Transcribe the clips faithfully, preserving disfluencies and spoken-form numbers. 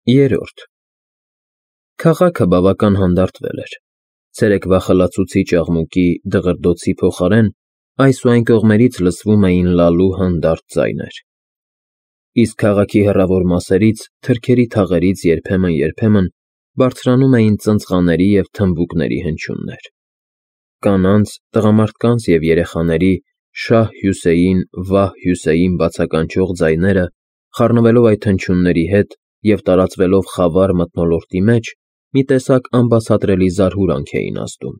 Երրորդ Քաղաքը բավական հանդարտվել էր, ցերեկվա խլացուցիչ աղմուկի, դղրդոցի փոխարեն այս ու այն կողմերից լսվում էին լալու հանդարտ ձայներ, իսկ քաղաքի հեռավոր մասերից, թրքերի թաղերից երբեմն֊երբեմն բարձրանում էին ծնծղաների և թմբուկների հնչյուններ, կանանց, տղամարդկանց և երեխաների շահ-հյուսեյին, վահ-հյուսեյին բացականչող ձայները խառնվելով այդ հնչյունների հետ և տարածվելով խավար մթնոլորտի մեջ, մի տեսակ անբացատրելի զարհուրանք էին ազդում.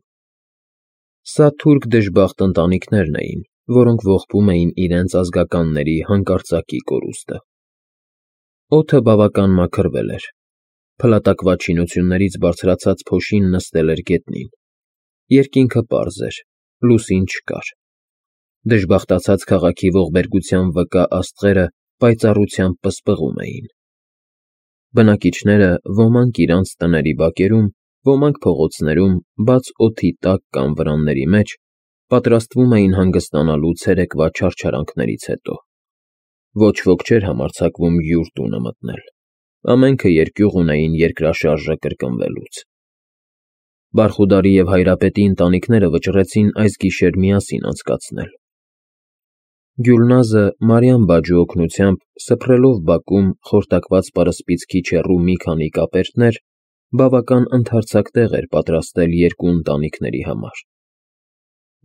սա թուրք դժբախտ ընտանիքներն էին, որոնք ողբում էին իրենց ազգականների հանկարծակի կորուստը։ Օդը բավական մաքրվել էր, փլատակված շինություններից բարձրացած փոշին նստել էր գետնին, երկինքը պարզ էր, լուսին չկար, դժբախտացած քաղաքի ողբերգության վկա աստղերը պայծառությամբ պսպղում էին։ Բնակիչները ոմանք իրանց տների բակերում, ոմանք փողոցներում, բաց օդի տակ կամ վրանների մեջ պատրաստվում էին հանգստանալու ցերեկվա չարչարանքներից հետո։ Ոչ ոք չէր համարձակվում յուր տունը մտնել, ամենքը երկյուղ ունեին երկրաշարժը կրկնվելուց։ Բարխուդարի և Հայրապետի ընտանիքները վճռեցին այս գիշեր միասին անցկացնել։ Գյուլնազը Մարիամ բաջու օգնությամբ, սփռելով բակում խորտակված պարսպից քիչ հեռու մի քանի կապերտներ, բավական ընդարձակ տեղ էր պատրաստել երկու ընտանիքների համար։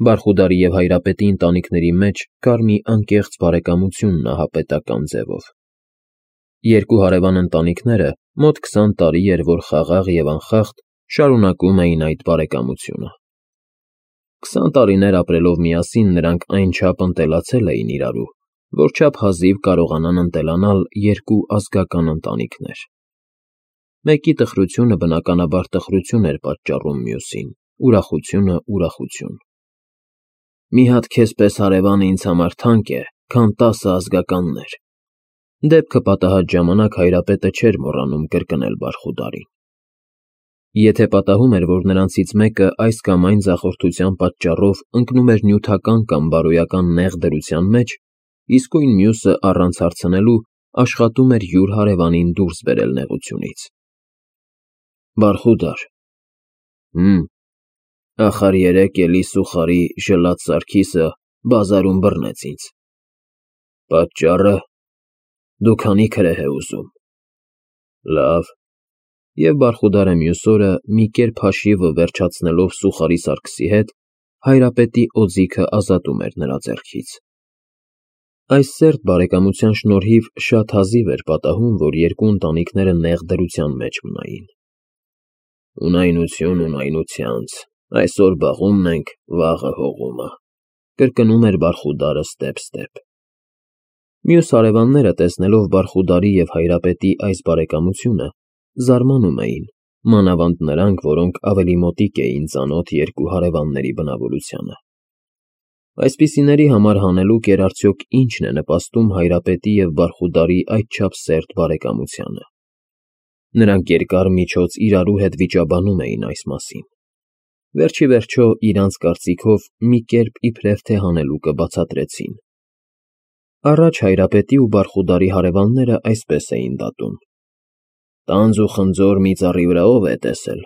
Բարխուդարի և Հայրապետի ընտանիքների մեջ կար մի անկեղծ բարեկամություն նահապետական ձևով։ Երկու հարևան ընտանիքները մոտ քսան տարի էր, որ խաղաղ և անխախտ շարունակում էին այդ բարեկամությունը։ Քսան տարիներ ապրելով միասին նրանք այնչափ ընտելացել էին իրարու, որչափ հազիվ կարողանան ընտելանալ երկու ազգական ընտանիքներ։ Մեկի տխրությունը բնականաբար տխրություն էր պատճառում մյուսին, ուրախությունը՝ ուրախություն։ Մի հատ քեզ պես հարևանը ինձ համար թանկ է, քան տասը ազգականներ։ Դեպքը պատահած ժամանակ Հայրապետը չէր մոռանում կրկնել Բարխուդարին։ Եթե պատահում էր, որ նրանցից մեկը այս կամ այն ձախորդության պատճառով ընկնում էր նյութական կամ բարոյական նեղ դրության մեջ, իսկույն մյուսը առանց հարցնելու աշխատում էր յուր հարևանին դուրս բերել նեղությունից։ Բարխուդար, հըմ, ախար երեկ էլի սուխարի ժլատ Սարգիսը բազարում բռնեց ինձ։ Պատճառը՝ դու քանի քրեհ է ուզում։ Լավ։ Եվ Բարխուդարը մյուս օրը, մի կերպ հաշիվը վերջացնելով Սուխարի Սարգսի հետ, Հայրապետի օձիքը ազատում էր նրա ձեռքից։ Այս սերտ բարեկամության շնորհիվ շատ հազիվ էր պատահում, որ երկու ընտանիքները նեղ դրության մեջ մնային։ Ունայնություն ունայնությանց, այսօր բաղումն ենք, վաղը հողումը, կրկնում էր Բարխուդարը ստեպ֊ստեպ։ Մյուս հարևանները, տեսնելով Բարխուդարի և Հայրապետի այս բարեկամությունը, զարմանում էին, մանավանդ նրանք, որոնք ավելի մոտիկ էին ծանոթ երկու հարևանների բնավորությանը։ Այսպիսիների համար հանելուկ էր արդյոք ի՞նչն է նպաստում Հայրապետի և Բարխուդարի այդչափ սերտ բարեկամությանը։ Նրանք երկար միջոց իրարու հետ վիճաբանում էին այս մասին։ Վերջիվերջո, իրանց կարծիքով, մի կերպ իբրև թե հանելուկը բացատրեցին։ Առաջ Հայրապետի ու Բարխուդարի հարևանները այսպես էին դատում. Տանձ ու խնձոր մի ծառի վրա ով է տեսել,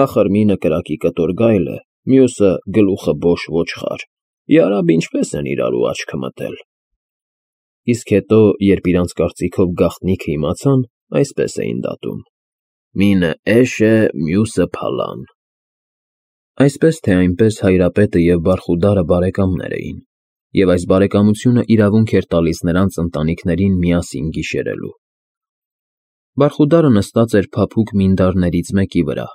ախր մինը կրակի կտոր գայլ է, մյուսը գլուխը բոշ ոչխար, յարաբ ինչպես են իրարու աչքը մտել։ Իսկ հետո, երբ իրանց կարծիքով գաղտնիքը իմացան, այսպես էին դատում. Մինը էշ է, մյուսը փալան։ Այսպես թե այնպես Հայրապետը և Բարխուդարը բարեկամներ էին, և այս բարեկամությունը իրավունք էր տալիս նրանց ընտանիքներին միասին գիշերելու։ Բարխուդարը նստած էր փափուկ մինդարներից մեկի վրա,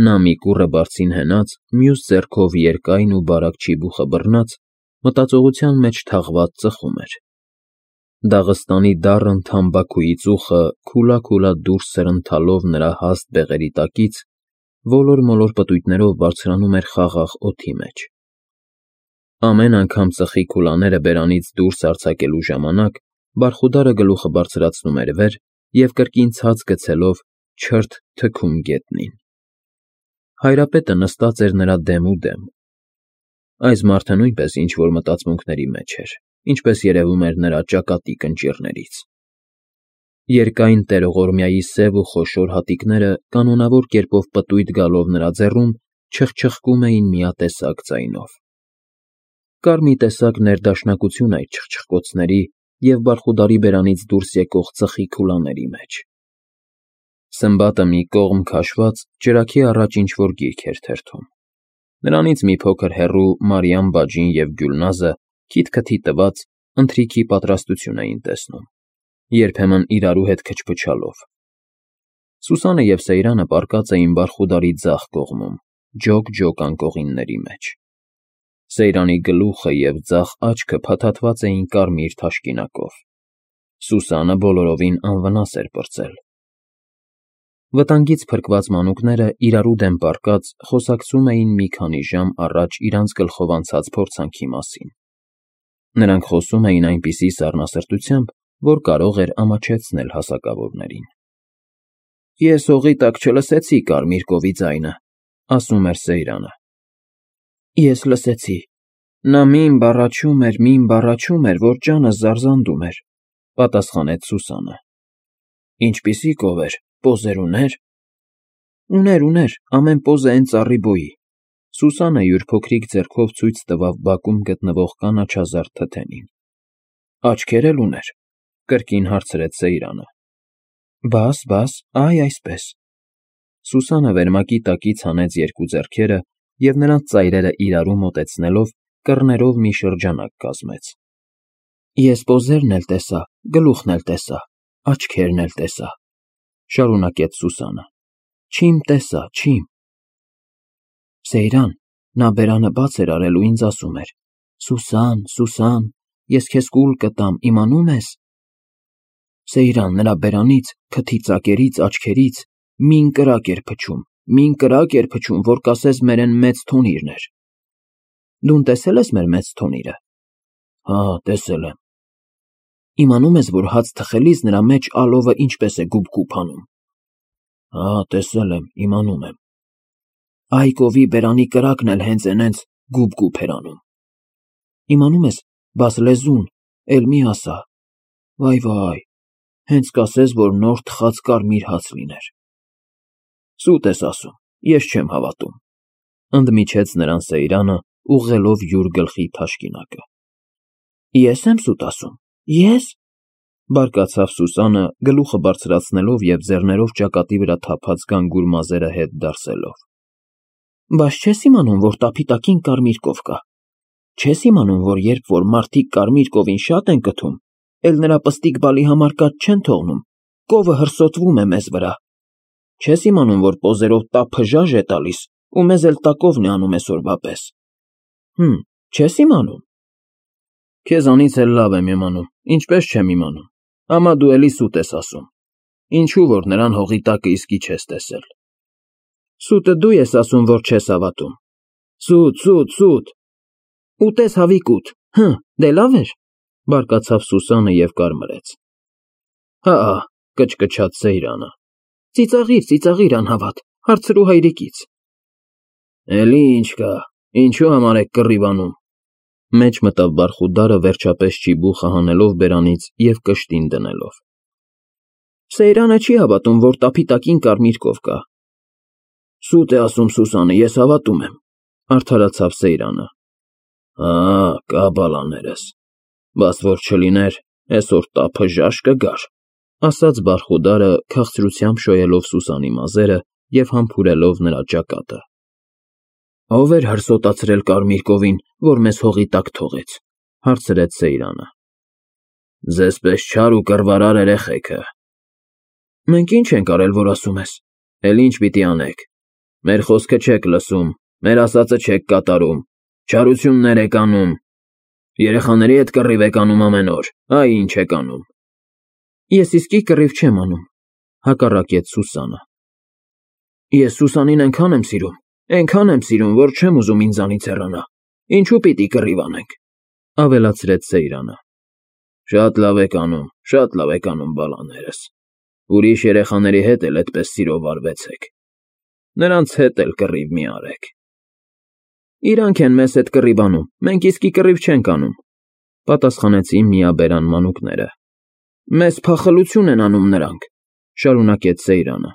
նա մի կուռը բարձին հենած, մյուս ձեռքով երկայն ու բարակ չիբուխը բռնած, մտածողության մեջ թաղված ծխում էր։ Դաղստանի դառն թամբաքուի ծուխը քուլա֊քուլա դուրս սրընթալով նրա հաստ բեղերի տակից, ոլոր֊մոլոր պտույտներով բարձրանում էր խաղաղ օդի մեջ։ Ամեն անգամ ծխի քուլաները բերանից դուրս արձակելու ժամանակ Բարխուդարը գլուխը բարձրացնում էր վեր և կրկին ցած գցելով չրթ թքում գետնին։ Հայրապետը նստած էր նրա դեմուդեմ։ Այս մարդը նույնպես ինչ֊որ մտածմունքների մեջ էր, ինչպես երևում էր նրա ճակատի կնճիռներից։ Երկայն տերողորմյայի սև ու խոշոր հատիկները կանոնավոր կերպով պտույտ գալով նրա ձեռում չխչխկում էին միատեսակ ձայնով։ Կար մի տեսակ ներդաշնակություն այդ չխչխկոցների և բարխուդարի բերանից դուրս եկող ծխի քուլաների մեջ։ Սմբատը մի կողմ քաշված ճրագի առաջ ինչ֊որ գիրք էր թերթում։ Նրանից մի փոքր հեռու Մարիամ բաջին և Գյուլնազը քիթ֊քթի տված ընթրիքի պատրաստություն էին տեսնում, երբեմն իրարու հետ քչփչալով։ Սուսանը և Սեյրանը պառկած էին բարխուդարի ձախ կողմում, ջոկ-ջոկ անկողինների մեջ։ Սեյրանի գլուխը և ձախ աչքը փաթաթված էին կարմիր թաշկինակով, Սուսանը բոլորովին անվնաս էր պրծել։ Վտանգից փրկված մանուկները իրարու դեմ պառկած խոսակցում էին մի քանի ժամ առաջ իրանց գլխով անցած փորձանքի մասին։ Նրանք խոսում էին այնպիսի սառնասրտությամբ, որ կարող էր ամաչեցնել հասակավորներին։ «Ես հողի տակ չլսեցի կարմիր կովի ձայնը», ֊ ասում էր Սեյրանը։ «Ես լսեցի. նա մին բառաչում էր, մին բառաչում էր, որ ջանս զարզանդում էր», ֊ պատասխանեց Սուսանը։ «Ինչպիսի՞ կով էր, պոզեր ուներ»։ «Ուներ, ուներ, ամեն պոզը էն ծառի բոյի», ֊ Սուսանը յուր փոքրիկ ձեռքով ցույց տվավ բակում գտնվող կանաչազարդ թթենին։ «Աչքեր էլ ուներ», ֊ կրկին հարցրեց Սեյրանը։ «Բաս, բաս, այ այսպես»։ Սուսանը վերմակի տակից հանեց երկու ձեռքերը և նրանց ծայրերը իրարու մոտեցնելով կռներով մի շրջանակ կազմեց։ «Ես պոզերն էլ տեսա, գլուխն էլ տեսա, աչքերն էլ տեսա», ֊ շարունակեց Սուսանը։ «Չիմ տեսա, չիմ»։ Սեյրան, նա բերանը բաց էր արել ու ինձ ասում էր. «Սուսան, Սուսան, ես քեզ կուլ կտամ, իմանում ես»։ Սեյրան, նրա բերանից, քթի ծակերից, աչքերից մին կրակ էր փչում, մին կրակ էր փչում, որ կասես մեր էն մեծ թոնիրն էր։ Դուն տեսե՞լ ես մեր մեծ թոնիրը։ Հա, տեսել եմ։ Իմանում ես, որ հաց թխելիս նրա մեջ ալովը ինչպես է գուբգուբ անում։ Հա, տեսել եմ, իմանում եմ։ Այ կովի բերանի կրակն էլ հենց էնենց գուբգուբ էր անում։ Իմանում ես, բաս լեզուն, էլ մի ասա։ Վայ, վայ, հենց կասես, որ նոր թխած կարմիր հաց լիներ։ Սուտ ես ասում, ես չեմ հավատում, ֊ ընդմիջեց նրան Սեյրանը, ուղղելով յուր գլխի թաշկինակը։ Ես եմ սուտ ասում, ե՞ս, ֊ բարկացավ Սուսանը, գլուխը բարձրացնելով և ձեռներով ճակատի վրա թափած գանգուր մազերը հետ դարսելով։ Բաս չես իմանում, որ տափի տակին կարմիր կով կա։ Չես իմանում, որ երբ որ մարդիկ կարմիր կովին շատ են կթում, էլ նրա պստիկ բալի համար կաթ չեն թողնում, կովը հրսոտվում է մեզ վրա։ Չես իմանում, որ պոզերով տափը ժաժ է տալիս ու մեզ էլ տակովն է անում էսօրվա պես։ Հմ, չես իմանում։ Քեզանից էլ լավ եմ իմանում, ինչպես չեմ իմանում։ Ամա դու էլի սուտ ես ասում։ Ինչու որ նրան հողի տակը իսկի չես տեսել։ Սուտը դու ես ասում, որ չես հավատում։ Սուտ, սուտ, սուտ։ Ուտես հավիկուտ, հը, դե լավ էր, բարկացավ Սուսանը և կարմրեց։ Հա, կչկչաց Սեյրանը։ Ծիծաղիր, ծիծաղիր անհավատ, հարցրու հայրիկից։ Էլի ինչ կա, ինչու համար եք կռիվանում։ Մեջ մտավ բարխուդարը վերջապես ճիբուխը հանելով բերանից և կշտին դնելով։ Սեյրանը չի հավատում, որ տափի տակին կարմիր կով կա։ Սուտ է ասում Սուսանը, ես հավատում եմ, արդարացավ Սեյրանը։ Հա, կա բալաներս, բաս որ չլիներ, էսօր տափը ժաժ կգար, ասաց բարխուդարը, քաղցրությամբ շոյելով Սուսանի մազերը և համբուրելով նրա ճակատը։ Ո՞վ էր հրսոտացրել կարմիր կովին, որ մեզ հողի տակ թողեց, հարցրեց Սեյրանը։ Ձեզ պես չար ու կռվարար երեխեքը։ Մենք ինչ ենք արել, որ ասում ես, էլ ինչ պիտի անենք։ Մեր խոսքը չեք լսում, մեր ասածը չեք կատարում, չարություններ եք անում, երեխաների հետ կռիվ եք անում ամեն օր, այ ինչ եք անում։ Ես իսկի կռիվ չեմ անում, հակառակեց Սուսանը։ Ես Սուսանին այնքան եմ սիրում, այնքան եմ սիրում, որ չեմ ուզում ինձանից հեռանա։ Ինչու պիտի կռիվ անենք, ավելացրեց Սեյրանը։ Շատ լավ եք անում, շատ լավ եք անում, բալաներս։ Ուրիշ երեխաների հետ էլ այդպես սիրով վարվեցեք։ Նրանց հետ էլ կռիվ մի արեք։ Իրանք են մեզ հետ կռիվ անում, մենք իսկի կռիվ չենք անում, պատասխանեցին միաբերան մանուկները։ Մեզ փախլություն են անում նրանք, շարունակեց Սեյրանը։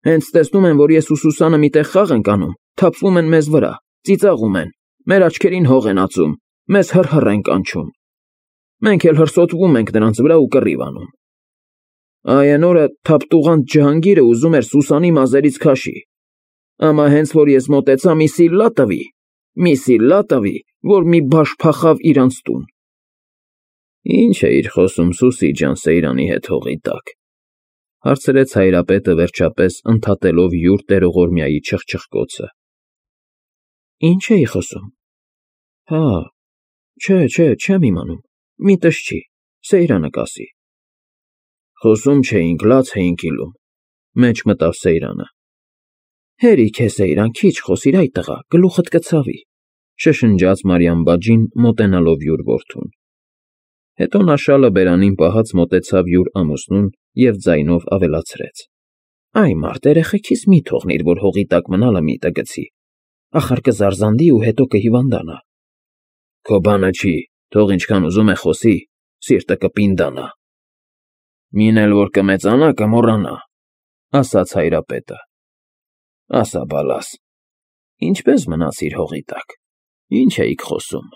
Հենց տեսնում են, որ ես ու Սուսանը մի տեղ խաղ ենք անում, թափվում են մեզ վրա, ծիծաղում են, մեր աչքերին հող են ածում, մեզ հռհռ են կանչում։ Մենք էլ հրսոտվում ենք նրանց վրա ու կռիվ անում։ Այն օրը թափտուղանտ Ջհանգիրը ուզում էր Սուսանի մազերից քաշի, ամա հենց որ ես մոտեցա, մի սիլլա տվի, մի սիլլա տվի, որ մի բաշ փախավ իրանց տուն։ Ինչ էիր խոսում Սուսի ջան Սեյրանի հետ հողի տակ, հարցրեց հայրապետը վերջապես ընդհատելով յուր տերողորմյայի չխչխկոցը։ Ինչ էի խոսում։ Հա, չէ, չէ, չեմ իմանում, մի տշչի, Սեյրանը կասի։ Խոսում չէինք, լաց էինք իլում, մեջ մտավ Սեյրանը։ Հերի քեզ Սեյրան, քիչ խոսիր այ տղա, գլուխդ կցավի, շշնջաց Մարիամ բաջին մոտենալով յուր որդուն։ Հետո նա շալը բերանին պահած մոտեցավ յուր ամուսնուն և ձայնով ավելացրեց. Այ մարդ երեխեքիս մի թողնիր, որ հողի տակ մնալը միտը գցի, ախար կզարզանդի ու հետո կհիվանդանա։ Քո բանը չի, թող ինչքան ուզում է խոսի, սիրտը կպինդանա։ Մին էլ որ կմեծանա, կմոռանա, ասաց հայրապետը։ Ասա բալաս, ինչպես մնացիր հողի տակ, ինչ էիք խոսում։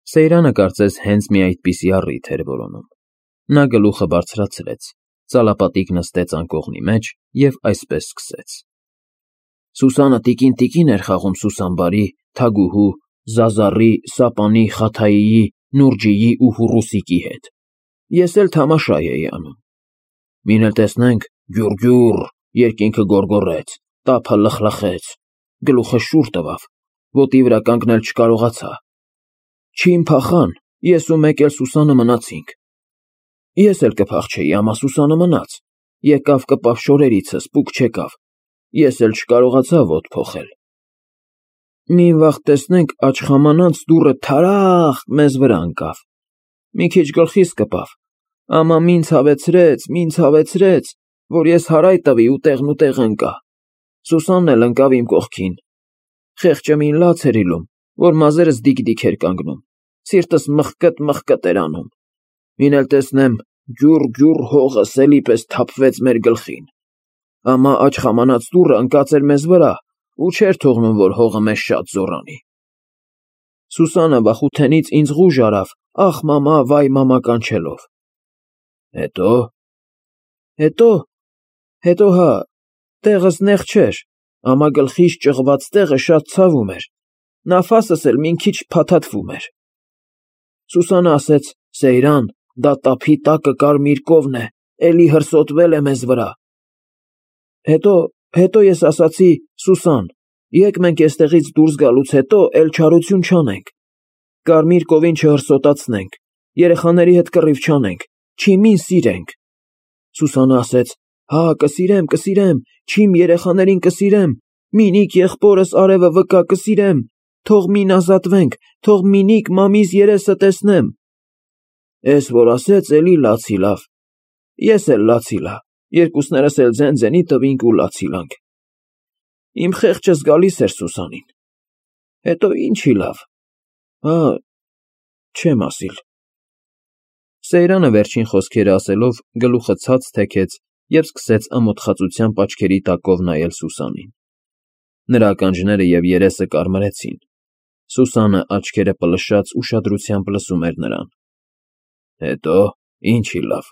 Սեյրանը կարծես հենց մի այդպիսի առիթ էր որոնում։ Նա գլուխը բարձրացրեց, ծալապատիկ նստեց անկողնի մեջ և այսպես սկսեց. Սուսանը տիկին-տիկին էր խաղում Սուսանբարի, Թագուհու, Զազարի, Սապանի, Խաթայիի, Նուրջիի ու Հուռուսիկի հետ։ Ես էլ թամաշա էի անում։ Մին էլ տեսնենք, գյուր-գյուր, երկինքը գոռգոռեց, տափը լխլխեց, գլուխը շուռ տվավ, ոտի վրա կանգնել չկարողացա։ Չիմ փախան, ես ու մեկ էլ Սուսանը մնացինք։ Ես էլ կփախչեի, ամա Սուսանը մնաց, եկավ կպավ շորերիցս, պուկ չեկավ, ես էլ չկարողացա ոտ փոխել։ Մի վաղ տեսնենք աչխամանանց դուռը թարախ մեզ վրա ընկավ, մի քիչ գլխիս կպավ, ամա մին ցավեցրեց, մին ցավեցրեց, որ ես հարայ տվի ու տեղնուտեղ ընկա։ Սուսանն էլ ընկավ իմ կողքին։ Խեղճը մին լաց էր իլում, որ մազերս դիկ-դիկ էր կանգնում, սիրտս մխկտ-մխկտ էր անում։ Մին էլ տեսնեմ, գյուռ-գյուռ հողը սելի պես թափվեց մեր գլխին։ Ամա աչխամանած դուռը ընկած էր մեզ վրա ու չէր թողնում, որ հողը մեզ շատ զոռանի։ Սուսանը վախութենից ինձ ղուժ արավ, ախ մամա, վայ մամա կանչելով։ Հետո։ Հետո, հետո հա, տեղս նեղ չէր, ամա գլխիս ճղված տեղը շատ ցավում էր, նաֆասս էլ մին քիչ փաթաթվում էր։ Սուսանը ասեց. Սեյրան, դա տափի տակը կարմիր կովն է, էլի հրսոտվել է մեզ վրա։ Հետո, հետո ես ասացի. Սուսան, եկ մենք էստեղից դուրս գալուց հետո էլ չարություն չանենք, կարմիր կովին չհրսոտացնենք, երեխաների հետ կռիվ չանենք, չիմին սիրենք։ Սուսանը ասեց. հա, կսիրեմ, կսիրեմ, չիմ երեխաներին կսիրեմ, մինիկ եղբորս արևը վկա կսիրեմ, թող մին ազատվենք, թող մինիկ մամիս երեսը տեսնեմ։ Էս որ ասեց, էլի լացիլավ, ես էլ լացիլա, երկուսներս էլ ձեն-ձենի տվինք ու լացիլանք։ Իմ խեղճս գալիս էր Սուսանին։ Հետո ինչի լավ, հա, չեմ ասիլ։ Սեյրանը վերջին խոսքերը ասելով գլուխը ցած թեքեց և սկսեց ամոթխածությամբ աչքերի տակով նայել Սուսանին։ Նրա ականջները և երեսը կարմրեցին։ Սուսանը աչքերը պլշած ուշադրությամբ լսում էր նրան։ Հետո, ինչի լավ,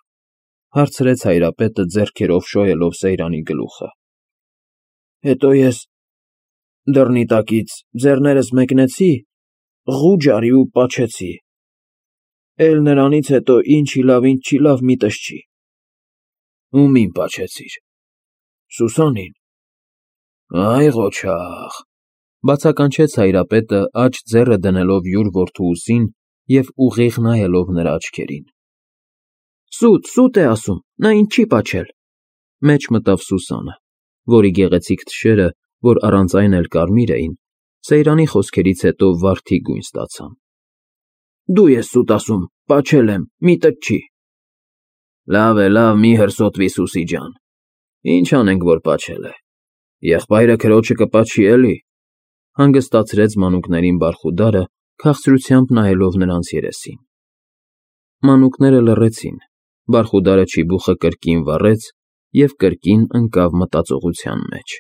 հարցրեց հայրապետը ձեռքերով շոյելով Սեյրանի գլուխը։ Հետո ես դռնի տակից ձեռներս մեկնեցի, ղուջ արի ու պաչեցի։ Էլ նրանից հետո ինչի լավ, ինչի լավ մի տշչի։ Ումին պաչեցիր։ Սուսանին։ Այ ղոչաղ, բացականչեց հայրապետը աջ ձեռը դնելով յուր որդու ուսին և ուղիղ նայելով նրա աչքերին։ Սուտ, սուտ է ասում, նա ինձ չի պաչել, մեջ մտավ Սուսանը, որի գեղեցիկ թշերը, որ առանց այն էլ կարմիր էին, Սեյրանի խոսքերից հետո վարդի գույն ստացան։ Դու ես սուտ ասում, պաչել եմ, մի տչի։ Լավ է, լավ, մի հրսոտվի Սուսի ջան, ինչ անենք, որ պաչել է, եղբայրը քրոջը կպաչի էլի, հանգստացրեց մանուկներին Բարխուդարը, քաղցրությամբ նայելով նրանց երեսին։ Մանուկները լռեցին, Բարխուդարը չիբուխը կրկին վառեց և կրկին ընկավ մտածողության մեջ։